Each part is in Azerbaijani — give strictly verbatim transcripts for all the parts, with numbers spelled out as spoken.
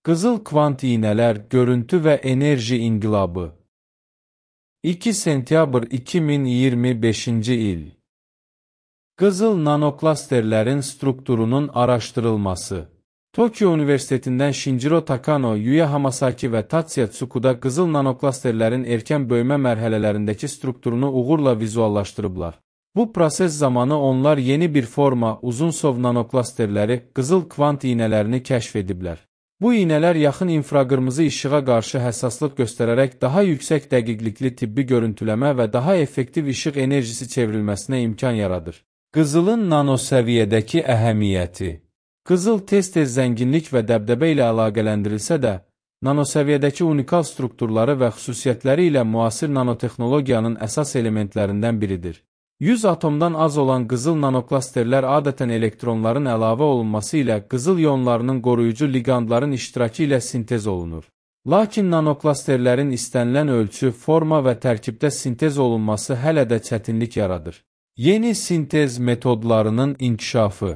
Qızıl kvant iynələr, görüntü və enerji inqilabı. iki sentyabr iki min iyirmi beşinci il. Qızıl nanoklasterlərin strukturunun araşdırılması. Tokyo Universitetindən Shinjiro Takano, Yuya Hamasaki və Tatsuya Tsukuda qızıl nanoklasterlərin erkən böyümə mərhələlərindəki strukturunu uğurla vizuallaşdırıblar. Bu proses zamanı onlar yeni bir forma, uzunsov nanoklasterləri, qızıl kvant iynələrini kəşf ediblər. Bu iynələr yaxın infraqırmızı işığa qarşı həssaslıq göstərərək daha yüksək dəqiqlikli tibbi görüntüləmə və daha effektiv işıq enerjisi çevrilməsinə imkan yaradır. Qızılın nanosəviyyədəki əhəmiyyəti. Qızıl tez-tez zənginlik və dəbdəbə ilə əlaqələndirilsə də, nanosəviyyədəki unikal strukturları və xüsusiyyətləri ilə müasir nanotexnologiyanın əsas elementlərindən biridir. yüz atomdan az olan qızıl nanoklasterlər adətən elektronların əlavə olunması ilə qızıl ionlarının qoruyucu liqandların iştirakı ilə sintez olunur. Lakin nanoklasterlərin istənilən ölçü, forma və tərkibdə sintez olunması hələ də çətinlik yaradır. Yeni sintez metodlarının inkişafı.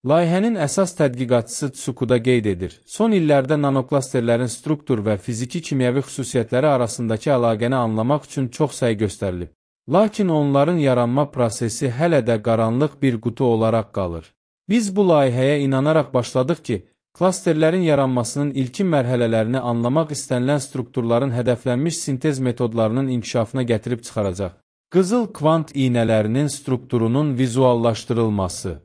Layihənin əsas tədqiqatçısı Tsukuda qeyd edir. Son illərdə nanoklasterlərin struktur və fiziki-kimyəvi xüsusiyyətləri arasındakı əlaqəni anlamaq üçün çox səy göstərilib. Lakin onların yaranma prosesi hələ də qaranlıq bir qutu olaraq qalır. Biz bu layihəyə inanaraq başladıq ki, klasterlərin yaranmasının ilkin mərhələlərini anlamaq istənilən strukturların hədəflənmiş sintez metodlarının inkişafına gətirib çıxaracaq. Qızıl kvant iynələrinin strukturunun vizuallaşdırılması.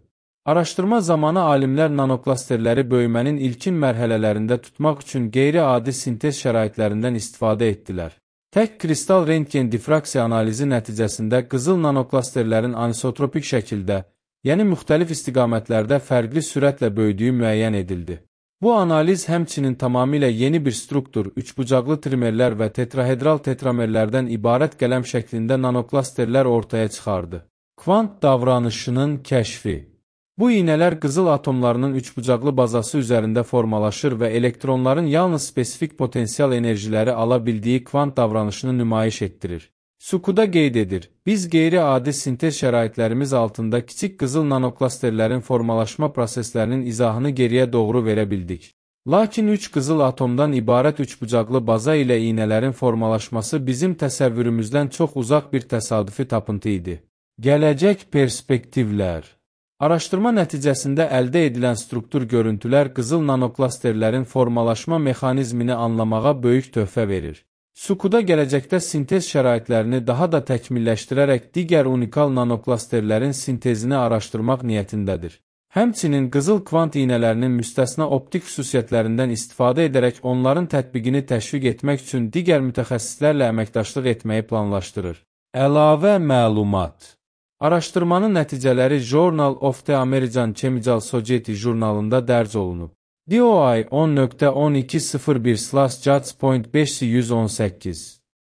Araşdırma zamanı alimlər nanoklasterləri böyümənin ilkin mərhələlərində tutmaq üçün qeyri-adi sintez şəraitlərindən istifadə etdilər. Tək kristal rentgen difraksiya analizi nəticəsində qızıl nanoklasterlərin anisotropik şəkildə, yəni müxtəlif istiqamətlərdə fərqli sürətlə böyüdüyü müəyyən edildi. Bu analiz həmçinin tamamilə yeni bir struktur, üçbucaqlı trimerlər və tetrahedral tetramerlərdən ibarət qələm şəklində nanoklasterlər ortaya çıxardı. Kvant davranışının kəşfi. Bu iynələr qızıl atomlarının üçbucaqlı bazası üzərində formalaşır və elektronların yalnız spesifik potensial enerjiləri ala bildiyi kvant davranışını nümayiş etdirir. Tsukuda qeyd edir, biz qeyri-adi sintez şəraitlərimiz altında kiçik qızıl nanoklasterlərin formalaşma proseslərinin izahını geriyə doğru verə bildik. Lakin üç qızıl atomdan ibarət üçbucaqlı baza ilə iynələrin formalaşması bizim təsəvvürümüzdən çox uzaq bir təsadüfi tapıntı idi. Gələcək perspektivlər. Araşdırma nəticəsində əldə edilən struktur görüntülər qızıl nanoklasterlərin formalaşma mexanizmini anlamağa böyük töhfə verir. Tsukuda gələcəkdə sintez şəraitlərini daha da təkmilləşdirərək digər unikal nanoklasterlərin sintezini araşdırmaq niyyətindədir. Həmçinin qızıl kvant iynələrinin müstəsna optik xüsusiyyətlərindən istifadə edərək onların tətbiqini təşviq etmək üçün digər mütəxəssislərlə əməkdaşlıq etməyi planlaşdırır. Əlavə məlumat. Araşdırmanın nəticələri Journal of the American Chemical Society jurnalında dərc olunub. D O I on nöqtə on iki sıfır bir slash judge point beş yüz on səkkiz